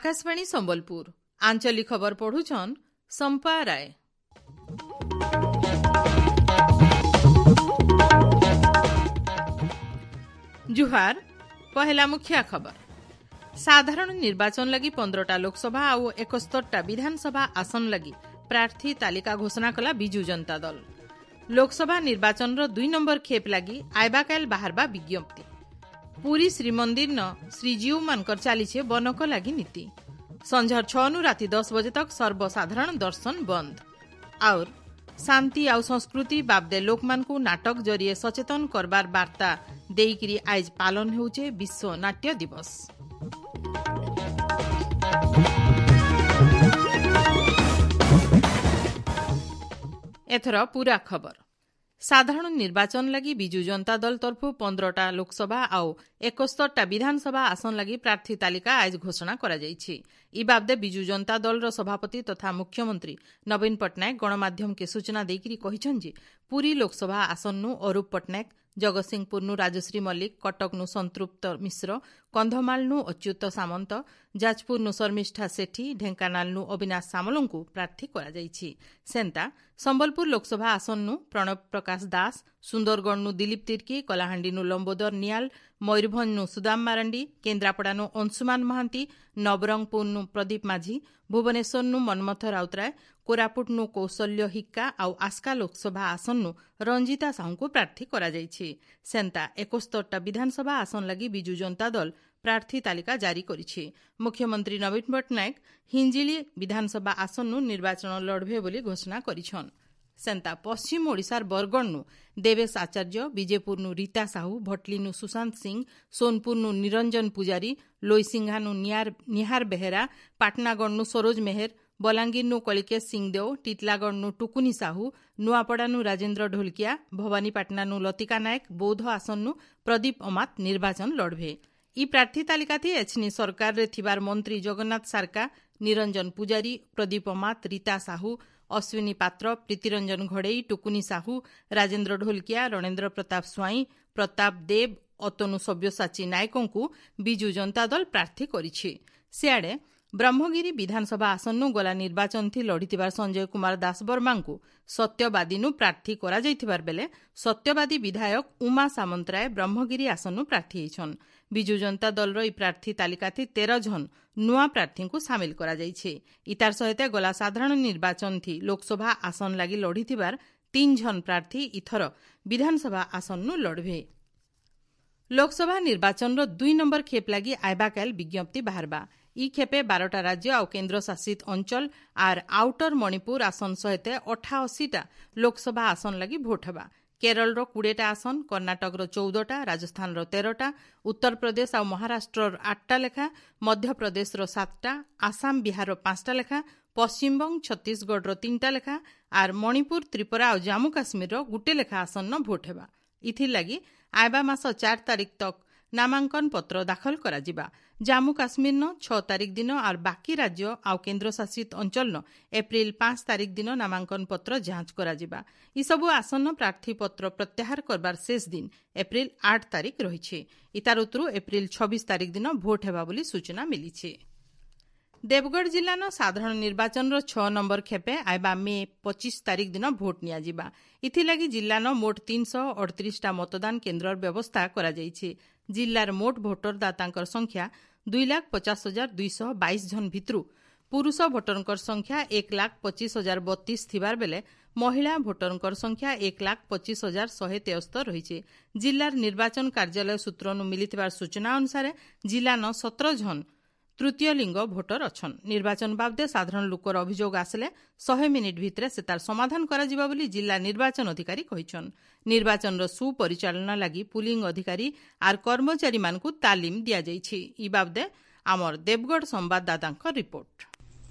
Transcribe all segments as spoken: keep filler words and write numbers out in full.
ଆକାଶବାଣୀ ସମ୍ବଲପୁର ଆଞ୍ଚଳିକ ଖବର ପଢୁଛନ୍ ସମ୍ପା ରାୟ ଜୁହାର ପହେଲା ମୁଖ୍ୟ ଖବର ସାଧାରଣ ନିର୍ବାଚନ ଲାଗି ପନ୍ଦରଟା ଲୋକସଭା ଆଉ ଏକସ୍ତରଟା ବିଧାନସଭା ଆସନ ଲାଗି ପ୍ରାର୍ଥୀ ତାଲିକା ଘୋଷଣା କଲା ବିଜୁ ଜନତା ଦଳ ଲୋକସଭା ନିର୍ବାଚନର ଦୁଇ ନମ୍ବର ଖେପ୍ ଲାଗି ଆଇବାକାଲ ବାହାରବା ବିଜ୍ଞପ୍ତି ପୁରୀ ଶ୍ରୀମନ୍ଦିରନ ଶ୍ରୀଜୀଉମାନଙ୍କର ଚାଲିଛେ ବନକ ଲାଗି ନୀତି ସଞ୍ଝର ଛଅନୁ ରାତି ଦଶ ବଜେ ତକ ସର୍ବସାଧାରଣ ଦର୍ଶନ ବନ୍ଦ ଆଉର ଶାନ୍ତି ଆଉ ସଂସ୍କୃତି ବାବଦେ ଲୋକମାନଙ୍କୁ ନାଟକ ଜରିଏ ସଚେତନ କରବାର ବାର୍ତ୍ତା ଦେଇକିରି ଆଇଜ ପାଳନ ହେଉଛେ ବିଶ୍ୱ ନାଟ୍ୟ ଦିବସ ଏଥର ପୁରା ଖବର ସାଧାରଣ ନିର୍ବାଚନ ଲାଗି ବିଜୁ ଜନତା ଦଳ ତରଫରୁ ପନ୍ଦରଟା ଲୋକସଭା ଆଉ ଏକସ୍ତରଟା ବିଧାନସଭା ଆସନ ଲାଗି ପ୍ରାର୍ଥୀ ତାଲିକା ଆଜ ଘୋଷଣା କରାଯାଇଛି ଇ ବାବଦେ ବିଜୁ ଜନତା ଦଳର ସଭାପତି ତଥା ମୁଖ୍ୟମନ୍ତ୍ରୀ ନବୀନ ପଟ୍ଟନାୟକ ଗଣମାଧ୍ୟମକେ ସୂଚନା ଦେଇକରି କହିଛନ୍ତି ଯେ ପୁରୀ ଲୋକସଭା ଆସନରୁ ଅରୂପ ପଟ୍ଟନାୟକ ଜଗତସିଂହପୁରନୁ ରାଜଶ୍ରୀ ମଲ୍ଲିକ କଟକନୁ ସଂତୃପ୍ତ ମିଶ୍ର କନ୍ଧମାଳନୁ ଅଚ୍ୟୁତ ସାମନ୍ତ ଯାଜପୁରନୁ ଶର୍ମିଷ୍ଠା ସେଠୀ ଢେଙ୍କାନାଳନୁ ଅବିନାଶ ସାମଲଙ୍କୁ ପ୍ରାର୍ଥୀ କରାଯାଇଛି ସେନ୍ତା ସମ୍ବଲପୁର ଲୋକସଭା ଆସନରୁ ପ୍ରଣବ ପ୍ରକାଶ ଦାସ ସୁନ୍ଦରଗଡ଼ନୁ ଦିଲୀପ ତିର୍କୀ କଳାହାଣ୍ଡିନୁ ଲମ୍ବୋଦର ନିଆଲ ମୟୂରଭଞ୍ଜନୁ ସୁଦାମ ମାରାଣ୍ଡି କେନ୍ଦ୍ରାପଡ଼ାନୁ ଅଂଶୁମାନ ମହାନ୍ତି ନବରଙ୍ଗପୁରନୁ ପ୍ରଦୀପ ମାଝୀ ଭୁବନେଶ୍ୱରନୁ ମନ୍ମଥ ରାଉତରାୟ କୋରାପୁଟନୁ କୌଶଲ୍ୟ ହିକ୍କା ଆଉ ଆସ୍କା ଲୋକସଭା ଆସନରୁ ରଞ୍ଜିତା ସାହୁଙ୍କୁ ପ୍ରାର୍ଥୀ କରାଯାଇଛି ସେନ୍ତା ଏକସ୍ତରଟା ବିଧାନସଭା ଆସନ ଲାଗି ବିଜୁ ଜନତା ଦଳ ପ୍ରାର୍ଥୀ ତାଲିକା ଜାରି କରିଛି ମୁଖ୍ୟମନ୍ତ୍ରୀ ନବୀନ ପଟ୍ଟନାୟକ ହିଞ୍ଜିଳି ବିଧାନସଭା ଆସନରୁ ନିର୍ବାଚନ ଲଢ଼ବେ ବୋଲି ଘୋଷଣା କରିଛନ୍ ସେନ୍ତା ପଶ୍ଚିମ ଓଡ଼ିଶାର ବରଗଡ଼ନୁ ଦେବେଶ ଆଚାର୍ଯ୍ୟ ବିଜେପୁରନୁ ରୀତା ସାହୁ ଭଟଲିନୁ ସୁଶାନ୍ତ ସିଂ ସୋନପୁରନୁ ନିରଞ୍ଜନ ପୂଜାରୀ ଲୋଇସିଂହାନୁ ନିହାର ବେହେରା ପାଟନାଗଡ଼ନୁ ସରୋଜ ମେହେର ବଲାଙ୍ଗୀରନୁ କଳିକେଶ ସିଂଦେଓ ଟିଟଲାଗଡ଼ନୁ ଟୁକୁନି ସାହୁ ନୂଆପଡ଼ାନୁ ରାଜେନ୍ଦ୍ର ଢୋଲକିଆ ଭବାନୀପାଟଣାନୁ ଲତିକା ନାୟକ ବୌଦ୍ଧ ଆସନରୁ ପ୍ରଦୀପ ଅମାତ ନିର୍ବାଚନ ଲଢ଼ବେ ଇ ପ୍ରାର୍ଥୀ ତାଲିକାଥି ଏଛିନି ସରକାରରେ ଥିବାର ମନ୍ତ୍ରୀ ଜଗନ୍ନାଥ ସାରକା ନିରଞ୍ଜନ ପୂଜାରୀ ପ୍ରଦୀପ ଅମାତ ରୀତା ସାହୁ ଅଶ୍ୱିନୀ ପାତ୍ର ପ୍ରୀତିରଞ୍ଜନ ଘଡ଼େଇ ଟୁକୁନି ସାହୁ ରାଜେନ୍ଦ୍ର ଢୋଲକିଆ ରଣେନ୍ଦ୍ର ପ୍ରତାପ ସ୍ୱାଇଁ ପ୍ରତାପ ଦେବ ଅତନୁ ସବ୍ୟସାଚୀ ନାୟକଙ୍କୁ ବିଜୁ ଜନତା ଦଳ ପ୍ରାର୍ଥୀ କରିଛି ସିଆଡ଼େ ବ୍ରହ୍ମଗିରି ବିଧାନସଭା ଆସନରୁ ଗଲା ନିର୍ବାଚନଥି ଲଢ଼ିଥିବାର ସଞ୍ଜୟ କୁମାର ଦାସବର୍ମାଙ୍କୁ ସତ୍ୟବାଦୀନୁ ପ୍ରାର୍ଥୀ କରାଯାଇଥିବାର ବେଲେ ସତ୍ୟବାଦୀ ବିଧାୟକ ଉମା ସାମନ୍ତରାୟ ବ୍ରହ୍ମଗିରି ଆସନରୁ ପ୍ରାର୍ଥୀ ହେଇଛନ୍ ବିଜୁ ଜନତା ଦଳର ଇ ପ୍ରାର୍ଥୀ ତାଲିକାଥି ତେର ଜଣ ନୂଆ ପ୍ରାର୍ଥୀଙ୍କୁ ସାମିଲ କରାଯାଇଛି ଇତାର ସହିତ ଗଲା ସାଧାରଣ ନିର୍ବାଚନଥି ଲୋକସଭା ଆସନ ଲାଗି ଲଢ଼ିଥିବାର ତିନି ଜଣ ପ୍ରାର୍ଥୀ ଇଥର ବିଧାନସଭା ଆସନରୁ ଲଢ଼ବେ ଲୋକସଭା ନିର୍ବାଚନର ଦୁଇ ନମ୍ବର ଖେପ୍ ଲାଗି ଆଇବାକାଲ ବିଜ୍ଞପ୍ତି ବାହାରବା ଇ ଖେପେ ବାରଟା ରାଜ୍ୟ ଆଉ କେନ୍ଦ୍ରଶାସିତ ଅଞ୍ଚଳ ଆର୍ ଆଉଟର ମଣିପୁର ଆସନ ସହିତ ଅଠାଅଶୀଟା ଲୋକସଭା ଆସନ ଲାଗି ଭୋଟ ହେବା କେରଳର କୋଡ଼ିଏଟା ଆସନ କର୍ଣ୍ଣାଟକର ଚଉଦଟା ରାଜସ୍ଥାନର ତେରଟା ଉତ୍ତରପ୍ରଦେଶ ଆଉ ମହାରାଷ୍ଟ୍ରର ଆଠଟା ଲେଖା ମଧ୍ୟପ୍ରଦେଶର ସାତଟା ଆସାମ ବିହାରର ପାଞ୍ଚଟା ଲେଖା ପଶ୍ଚିମବଙ୍ଗ ଛତିଶଗଡ଼ର ତିନିଟା ଲେଖା ଆର୍ ମଣିପୁର ତ୍ରିପୁରା ଆଉ ଜାମ୍ମୁ କାଶ୍ମୀରର ଗୁଟେ ଲେଖା ଆସନ ଭୋଟ ହେବା ଇଥିର୍ଲାଗି ଆଇବା ମାସ ଚାରି ତାରିଖ ତକ୍ ନାମାଙ୍କନ ପତ୍ର ଦାଖଲ କରାଯିବା ଜାମ୍ମୁ କାଶ୍ମୀରନ ଛଅ ତାରିଖ ଦିନ ଆର୍ ବାକି ରାଜ୍ୟ ଆଉ କେନ୍ଦ୍ରଶାସିତ ଅଞ୍ଚଳନ ଏପ୍ରିଲ ପାଞ୍ଚ ତାରିଖ ଦିନ ନାମାଙ୍କନ ପତ୍ର ଯାଞ୍ଚ କରାଯିବା ଏସବୁ ଆସନ ପ୍ରାର୍ଥୀପତ୍ର ପ୍ରତ୍ୟାହାର କରବାର ଶେଷ ଦିନ ଏପ୍ରିଲ ଆଠ ତାରିଖ ରହିଛି ଇତାର ଉତ୍ତରୁ ଏପ୍ରିଲ ଛବିଶ ତାରିଖ ଦିନ ଭୋଟ ହେବା ବୋଲି ସୂଚନା ମିଳିଛି ଦେବଗଡ଼ ଜିଲ୍ଲାର ସାଧାରଣ ନିର୍ବାଚନର ଛଅ ନମ୍ବର ଖେପେ ଆଇବା ମେ ପଚିଶ ତାରିଖ ଦିନ ଭୋଟ ନିଆଯିବା ଏଥିଲାଗି ଜିଲ୍ଲାର ମୋଟ ତିନିଶହ ଅଠତିରିଶଟା ମତଦାନ କେନ୍ଦ୍ରର ବ୍ୟବସ୍ଥା କରାଯାଇଛି ଜିଲ୍ଲାର ମୋଟ ଭୋଟରଦାତାଙ୍କର ସଂଖ୍ୟା ଦୁଇ ଲାଖ ପଚାଶ ହଜାର ଦୁଇଶହ ବାଇଶ ଜଣ ଭିତରୁ ପୁରୁଷ ଭୋଟରଙ୍କର ସଂଖ୍ୟା ଏକ ଲାଖ ପଚିଶ ହଜାର ବତିଶ ଥିବାର ବେଲେ ମହିଳା ଭୋଟରଙ୍କର ସଂଖ୍ୟା ଏକ ଲାଖ ପଚିଶ ହଜାର ଶହେ ତେସ୍ତର ରହିଛି ଜିଲ୍ଲାର ନିର୍ବାଚନ କାର୍ଯ୍ୟାଳୟ ସୂତ୍ରରୁ ମିଳିଥିବା ସୂଚନା ଅନୁସାରେ ଜିଲ୍ଲାନ ସତର ଜଣ ତୃତୀୟ ଲିଙ୍ଗ ଭୋଟର ଅଛନ୍ ନିର୍ବାଚନ ବାବଦେ ସାଧାରଣ ଲୋକର ଅଭିଯୋଗ ଆସିଲେ ଶହେ ମିନିଟ୍ ଭିତରେ ସେ ତାର ସମାଧାନ କରାଯିବ ବୋଲି ଜିଲ୍ଲା ନିର୍ବାଚନ ଅଧିକାରୀ କହିଛନ୍ ନିର୍ବାଚନର ସୁପରିଚାଳନା ଲାଗି ପୁଲିଂ ଅଧିକାରୀ ଆର୍ କର୍ମଚାରୀମାନଙ୍କୁ ତାଲିମ ଦିଆଯାଇଛି ଇ ବାବଦେ ଆମର ଦେବଗଡ଼ ସମ୍ବାଦଦାତାଙ୍କ ରିପୋର୍ଟ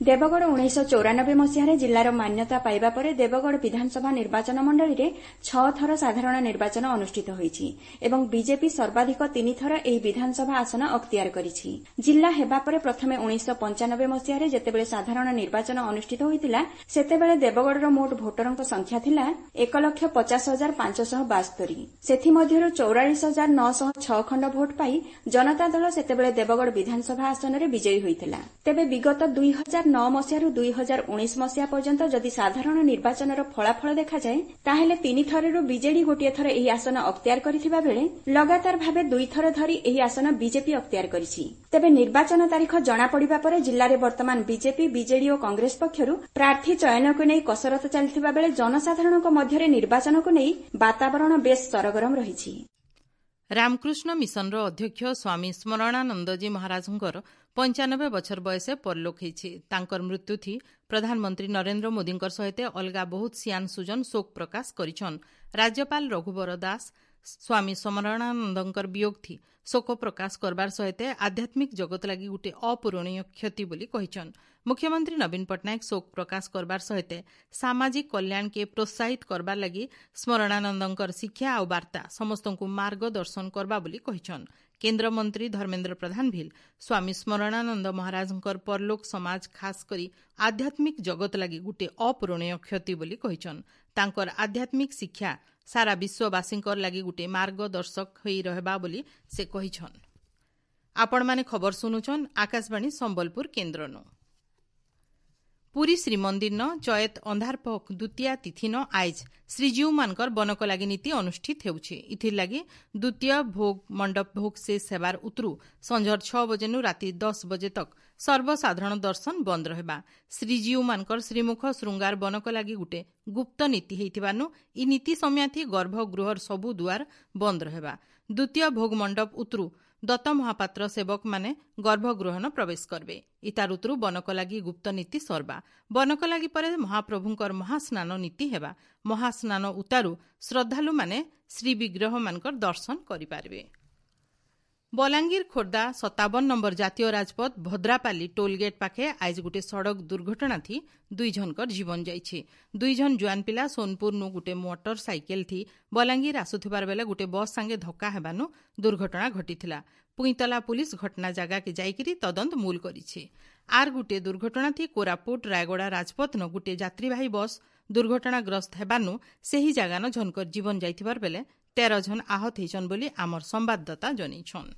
ଦେବଗଡ଼ ଉଣେଇଶହ ଚଉରାନବେ ମସିହାରେ ଜିଲ୍ଲାର ମାନ୍ୟତା ପାଇବା ପରେ ଦେବଗଡ଼ ବିଧାନସଭା ନିର୍ବାଚନ ମଣ୍ଡଳୀରେ ଛଅ ଥର ସାଧାରଣ ନିର୍ବାଚନ ଅନୁଷ୍ଠିତ ହୋଇଛି ଏବଂ ବିଜେପି ସର୍ବାଧିକ ତିନିଥର ଏହି ବିଧାନସଭା ଆସନ ଅକ୍ତିଆର କରିଛି। ଜିଲ୍ଲା ହେବା ପରେ ପ୍ରଥମେ ଉଣେଇଶହ ପଞ୍ଚାନବେ ମସିହାରେ ଯେତେବେଳେ ସାଧାରଣ ନିର୍ବାଚନ ଅନୁଷ୍ଠିତ ହୋଇଥିଲା, ସେତେବେଳେ ଦେବଗଡ଼ର ମୋଟ ଭୋଟରଙ୍କ ସଂଖ୍ୟା ଥିଲା ଏକ ଲକ୍ଷ ପଚାଶ ହଜାର ପାଞ୍ଚଶହ ବାସ୍ତରି। ସେଥିମଧ୍ୟରୁ ଚଉରାଳିଶ ହଜାର ନଅଶହ ଛଅ ଖଣ୍ଡ ଭୋଟ ପାଇ ଜନତା ଦଳ ସେତେବେଳେ ଦେବଗଡ଼ ବିଧାନସଭା ଆସନରେ ବିଜୟୀ ହୋଇଥିଲା। ତେବେ ବିଗତ ଦୁଇ ହଜାର ନଅ ମସିହାରୁ ଦୁଇ ହଜାର ଉଣେଇଶ ମସିହା ପର୍ଯ୍ୟନ୍ତ ଯଦି ସାଧାରଣ ନିର୍ବାଚନର ଫଳାଫଳ ଦେଖାଯାଏ, ତାହେଲେ ତିନିଥରରୁ ବିଜେଡି ଗୋଟିଏ ଥର ଏହି ଆସନ ଅକ୍ତିଆର କରିଥିବା ବେଳେ ଲଗାତାର ଭାବେ ଦୁଇଥର ଧରି ଏହି ଆସନ ବିଜେପି ଅକ୍ତିଆର କରିଛି। ତେବେ ନିର୍ବାଚନ ତାରିଖ ଜଣାପଡ଼ିବା ପରେ ଜିଲ୍ଲାରେ ବର୍ତ୍ତମାନ ବିଜେପି, ବିଜେଡି ଓ କଂଗ୍ରେସ ପକ୍ଷରୁ ପ୍ରାର୍ଥୀ ଚୟନକୁ ନେଇ କସରତ ଚାଲିଥିବା ବେଳେ ଜନସାଧାରଣଙ୍କ ମଧ୍ୟରେ ନିର୍ବାଚନକୁ ନେଇ ବାତାବରଣ ବେଶ୍ ସରଗରମ ରହିଛି। ରାମକୃଷ୍ଣ ମିଶନର ଅଧ୍ୟକ୍ଷ ସ୍ୱାମୀ ସ୍ମରଣାନନ୍ଦଜୀ ମହାରାଜଙ୍କର ପଞ୍ଚାନବେ ବଛର ବୟସେ ପରଲୋକ ହେଇଛି। ତାଙ୍କର ମୃତ୍ୟୁଥି ପ୍ରଧାନମନ୍ତ୍ରୀ ନରେନ୍ଦ୍ର ମୋଦୀଙ୍କର ସହିତ ଅଲଗା ବହୁତ ସିଆନ ସୁଜନ ଶୋକ ପ୍ରକାଶ କରିଛନ୍। ରାଜ୍ୟପାଳ ରଘୁବର ଦାସ ସ୍ୱାମୀ ସ୍ମରଣାନନ୍ଦଙ୍କର ବିୟୋଗଥି ଶୋକ ପ୍ରକାଶ କରବାର ସହିତ ଆଧ୍ୟାତ୍ମିକ ଜଗତ ଲାଗି ଗୋଟିଏ ଅପୂରଣୀୟ କ୍ଷତି ବୋଲି କହିଛନ୍। ମୁଖ୍ୟମନ୍ତ୍ରୀ ନବୀନ ପଟ୍ଟନାୟକ ଶୋକ ପ୍ରକାଶ କରବାର ସହିତ ସାମାଜିକ କଲ୍ୟାଣକେ ପ୍ରୋତ୍ସାହିତ କରବାର ଲାଗି ସ୍ମରଣାନନ୍ଦଙ୍କର ଶିକ୍ଷା ଆଉ ବାର୍ତ୍ତା ସମସ୍ତଙ୍କୁ ମାର୍ଗଦର୍ଶନ କରବା ବୋଲି କହିଛନ୍। କେନ୍ଦ୍ରମନ୍ତ୍ରୀ ଧର୍ମେନ୍ଦ୍ର ପ୍ରଧାନ ଭିଲ୍ ସ୍ୱାମୀ ସ୍ମରଣାନନ୍ଦ ମହାରାଜଙ୍କର ପରଲୋକ ସମାଜ, ଖାସ କରି ଆଧ୍ୟାତ୍ମିକ ଜଗତ ଲାଗି ଗୋଟିଏ ଅପୂରଣୀୟ କ୍ଷତି ବୋଲି କହିଛନ୍। ତାଙ୍କର ଆଧ୍ୟାତ୍ମିକ ଶିକ୍ଷା ସାରା ବିଶ୍ୱବାସୀଙ୍କର ଲାଗି ଗୋଟିଏ ମାର୍ଗଦର୍ଶକ ହୋଇ ରହିବା ବୋଲି ସେ କହିଛନ୍। ଆପଣମାନେ ଖବର ଶୁଣୁଛନ୍ ଆକାଶବାଣୀ ସମ୍ବଲପୁର କେନ୍ଦ୍ରନୁ। ପୁରୀ ଶ୍ରୀମନ୍ଦିରନ ଚଏତ ଅନ୍ଧାରପଖ ଦ୍ୱିତୀୟା ତିଥିନ ଆଇଜ୍ ଶ୍ରୀଜୀଉମାନଙ୍କର ବନକଲାଗି ନୀତି ଅନୁଷ୍ଠିତ ହେଉଛି। ଇଥିର୍ଲାଗି ଦ୍ୱିତୀୟ ଭୋଗ ମଣ୍ଡପ ଭୋଗ ଶେଷ ହେବାର ଉତରୁ ସଞ୍ଜର ଛଅ ବଜେନୁ ରାତି ଦଶ ବଜେ ତକ୍ ସର୍ବସାଧାରଣ ଦର୍ଶନ ବନ୍ଦ ରହିବା। ଶ୍ରୀଜୀଉମାନଙ୍କର ଶ୍ରୀମୁଖ ଶୃଙ୍ଗାର ବନକଲାଗି ଗୁଟେ ଗୁପ୍ତ ନୀତି ହେଇଥିବାନୁ ଇ ନୀତି ସମୟାଥି ଗର୍ଭଗୃହର ସବୁ ଦୁଆର ବନ୍ଦ ରହିବା। ଦ୍ୱିତୀୟ ଭୋଗ ମଣ୍ଡପ ଉତରୁ ଦତ୍ତ ମହାପାତ୍ର ସେବକମାନେ ଗର୍ଭଗୃହନ ପ୍ରବେଶ କରିବେ। ଇତାର ଉତରୁ ବନକଲାଗି ଗୁପ୍ତ ନୀତି ସର୍ବା। ବନକଲାଗି ପରେ ମହାପ୍ରଭୁଙ୍କର ମହାସ୍ନାନ ନୀତି ହେବା। ମହାସ୍ନାନ ଉତାରୁ ଶ୍ରଦ୍ଧାଳୁମାନେ ଶ୍ରୀବିଗ୍ରହମାନଙ୍କର ଦର୍ଶନ କରିପାରିବେ। ବଲାଙ୍ଗୀର ଖୋର୍ଦ୍ଧା ସତାବନ ନମ୍ବର ଜାତୀୟ ରାଜପଥ ଭଦ୍ରାପାଲି ଟୋଲଗେଟ୍ ପାଖେ ଆଇଜ ଗୋଟେ ସଡ଼କ ଦୁର୍ଘଟଣା ଥି ଦୁଇ ଜଣଙ୍କର ଜୀବନ ଯାଇଛି। ଦୁଇ ଜଣ ଜୁଆନ ପିଲା ସୋନପୁରନୁ ଗୋଟେ ମୋଟର ସାଇକେଲ ଥି ବଲାଙ୍ଗୀର ଆସୁଥିବାର ବେଲେ ଗୋଟେ ବସ୍ ସାଙ୍ଗେ ଧକ୍କା ହେବାନୁ ଦୁର୍ଘଟଣା ଘଟିଥିଲା। ପୁଇଁତଲା ପୁଲିସ ଘଟଣା ଜାଗାକେ ଯାଇକିରି ତଦନ୍ତ ମୂଲ କରିଛି। ଆର୍ ଗୋଟିଏ ଦୁର୍ଘଟଣା ଥି କୋରାପୁଟ ରାୟଗଡ଼ା ରାଜପଥନ ଗୋଟିଏ ଯାତ୍ରୀବାହୀ ବସ୍ ଦୁର୍ଘଟଣାଗ୍ରସ୍ତ ହେବାନୁ ସେହି ଜାଗାନ ଝନକର ଜୀବନ ଯାଇଥିବାର ବେଲେ ତେର ଜଣ ଆହତ ହେଇଛନ୍ ବୋଲି ଆମର ସମ୍ବାଦଦାତା ଜନେଇଛନ୍।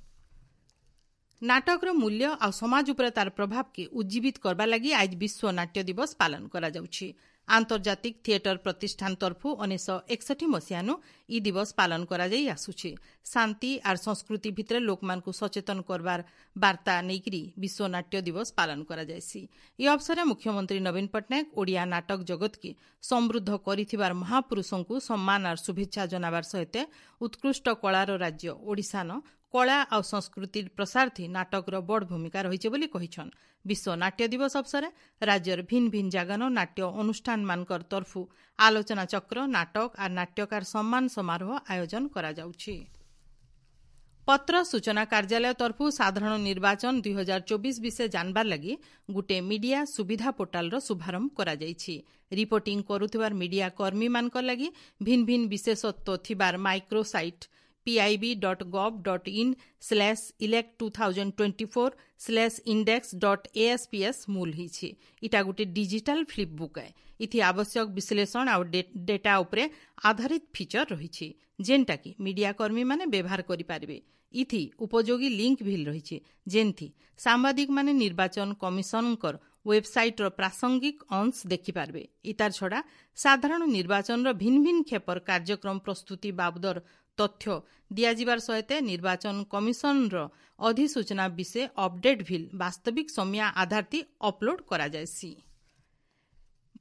ନାଟକର ମୂଲ୍ୟ ଆଉ ସମାଜ ଉପରେ ତାର ପ୍ରଭାବକେ ଉଜ୍ଜୀବିତ କରବା ଲାଗି ଆଜ ବିଶ୍ୱ ନାଟ୍ୟ ଦିବସ ପାଳନ କରାଯାଉଛି। ଆନ୍ତର୍ଜାତିକ ଥିଏଟର ପ୍ରତିଷ୍ଠାନ ତରଫୁ ଉଣେଇଶହ ଏକଷଠି ମସିହାନୁ ଇ ଦିବସ ପାଳନ କରାଯାଇ ଆସୁଛି। ଶାନ୍ତି ଆର୍ ସଂସ୍କୃତି ଭିତରେ ଲୋକମାନଙ୍କୁ ସଚେତନ କରବାର ବାର୍ତ୍ତା ନେଇକରି ବିଶ୍ୱ ନାଟ୍ୟ ଦିବସ ପାଳନ କରାଯାଏସି। ଏ ଅବସରରେ ମୁଖ୍ୟମନ୍ତ୍ରୀ ନବୀନ ପଟ୍ଟନାୟକ ଓଡ଼ିଆ ନାଟକ ଜଗତକେ ସମୃଦ୍ଧ କରିଥିବାର ମହାପୁରୁଷଙ୍କୁ ସମ୍ମାନ ଆର୍ ଶୁଭେଚ୍ଛା ଜଣାବାର ସହିତ ଉତ୍କୃଷ୍ଟ କଳାର ରାଜ୍ୟ ଓଡ଼ିଶାନ କଳା ଆଉ ସଂସ୍କୃତିର ପ୍ରସାରଥି ନାଟକର ବଡ଼ ଭୂମିକା ରହିছে ବୋଲି କହିଛନ୍। ବିଶ୍ୱ ନାଟ୍ୟ ଦିବସ ଅବସରେ ରାଜ୍ୟର ଭିନ୍ନ ଭିନ୍ନ ଜାଗାନ ନାଟ୍ୟ ଅନୁଷ୍ଠାନମାନଙ୍କର ତରଫୁ ଆଲୋଚନା ଚକ୍ର, ନାଟକ ଆର୍ ନାଟ୍ୟକାର ସମ୍ମାନ ସମାରୋହ ଆୟୋଜନ କରାଯାଉଛି। ପତ୍ର ସୂଚନା କାର୍ଯ୍ୟାଳୟ ତରଫୁ ସାଧାରଣ ନିର୍ବାଚନ ଦୁଇ ହଜାର ଚବିଶ ବିଷୟ ଜାଣବାର ଲାଗି ଗୋଟିଏ ମିଡିଆ ସୁବିଧା ପୋର୍ଟାଲର ଶୁଭାରମ୍ଭ କରାଯାଇଛି। ରିପୋର୍ଟିଂ କରୁଥିବାର ମିଡିଆ କର୍ମୀମାନଙ୍କ ଲାଗି ଭିନ୍ନ ଭିନ୍ନ ବିଶେଷତ୍ୱ ଥିବାର micro site pib dot gov dot in slash elect two thousand twenty four slash index dot A S P S ମୂଲ ହେଇଛି। ଇଟା ଗୋଟେ ଡିଜିଟାଲ ଫ୍ଲିପ୍ ବୁକ୍ ଏ। ଇଥି ଆବଶ୍ୟକ ବିଶ୍ଳେଷଣ ଆଉ ଡେଟା ଉପରେ ଆଧାରିତ ଫିଚର ରହିଛି, ଯେନ୍ଟାକି ମିଡିଆ କର୍ମୀମାନେ ବ୍ୟବହାର କରିପାରିବେ। ଇଥି ଉପଯୋଗୀ ଲିଙ୍କ ଭିଲ୍ ରହିଛି, ଯେନ୍ଥି ସାମ୍ବାଦିକମାନେ ନିର୍ବାଚନ କମିଶନଙ୍କର ୱେବସାଇଟ୍ର ପ୍ରାସଙ୍ଗିକ ଅଂଶ ଦେଖିପାରିବେ। ଇତାର ଛଡ଼ା ସାଧାରଣ ନିର୍ବାଚନର ଭିନ୍ନ ଭିନ୍ନ କ୍ଷେପର କାର୍ଯ୍ୟକ୍ରମ ପ୍ରସ୍ତୁତି ବାବଦର ତଥ୍ୟ ଦିଆଯିବାର ସହିତ ନିର୍ବାଚନ କମିଶନର ଅଧିସୂଚନା ବିଷୟ ଅପଡେଟ୍ ଭିଲ୍ ବାସ୍ତବିକ ସମୟ ଆଧାରତି ଅପଲୋଡ୍ କରାଯାଏସି।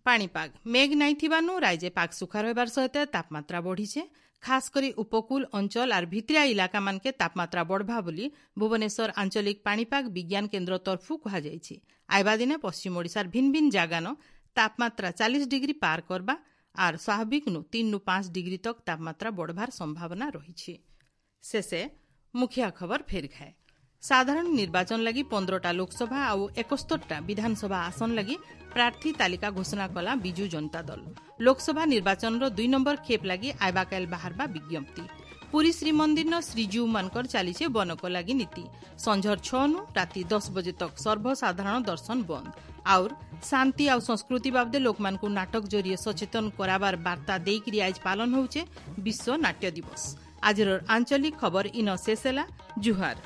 ପାଣିପାଗ ମେଘ ନାଇଁ ଥିବାନୁ ରାଇଜେ ପାଗ ସୁଖା ରହିବାର ସହିତ ତାପମାତ୍ରା ବଢ଼ିଛେ। ଖାସ କରି ଉପକୂଳ ଅଞ୍ଚଳ ଆର୍ ଭିତିରିଆ ଇଲାକାମାନକେ ତାପମାତ୍ରା ବଢ଼ବା ବୋଲି ଭୁବନେଶ୍ୱର ଆଞ୍ଚଳିକ ପାଣିପାଗ ବିଜ୍ଞାନ କେନ୍ଦ୍ର ତରଫୁ କୁହାଯାଇଛି। ଆଇବା ଦିନେ ପଶ୍ଚିମ ଓଡ଼ିଶାର ଭିନ୍ନ ଭିନ୍ନ ଜାଗାନ ତାପମାତ୍ରା ଚାଳିଶ ଡିଗ୍ରୀ ପାର କରବା ଆର୍ ସ୍ୱାଭାବିକ ନୁ ତିନି ନୁ ପାଞ୍ଚ ଡିଗ୍ରୀ ତକ ତାପମାତ୍ରା ବଢ଼ବାର ସମ୍ଭାବନା ରହିଛି। ଶେଷେ ମୁଖିଆ ଖବର ଫେର ଖାଏ। ସାଧାରଣ ନିର୍ବାଚନ ଲାଗି ପନ୍ଦରଟା ଲୋକସଭା ଆଉ ଏକସ୍ତରଟା ବିଧାନସଭା ଆସନ ଲାଗି ପ୍ରାର୍ଥୀ ତାଲିକା ଘୋଷଣା କଲା ବିଜୁ ଜନତା ଦଳ। ଲୋକସଭା ନିର୍ବାଚନର ଦୁଇ ନମ୍ବର ଖେପ୍ ଲାଗି ଆଇବାକାଇଲ ବାହାରବା ବିଜ୍ଞପ୍ତି। ପୁରୀ ଶ୍ରୀମନ୍ଦିରନ ଶ୍ରୀଜୀଉମାନଙ୍କର ଚାଲିଛେ ବନକ ଲାଗି ନୀତି। ସଞ୍ଝର ଛଅନୁ ରାତି ଦଶ ବଜେ ତକ୍ ସର୍ବସାଧାରଣ ଦର୍ଶନ ବନ୍ଦ। ଆଉର୍ ଶାନ୍ତି ଆଉ ସଂସ୍କୃତି ବାବଦେ ଲୋକମାନଙ୍କୁ ନାଟକ ଜରିଏ ସଚେତନ କରାବାର ବାର୍ତ୍ତା ଦେଇକରି ଆଜ ପାଳନ ହେଉଛେ ବିଶ୍ୱ ନାଟ୍ୟ ଦିବସ। ଆଜିର ଆଞ୍ଚଳିକ ଖବର ଇନ ଶେଷ ହେଲା। ଜୁହାର।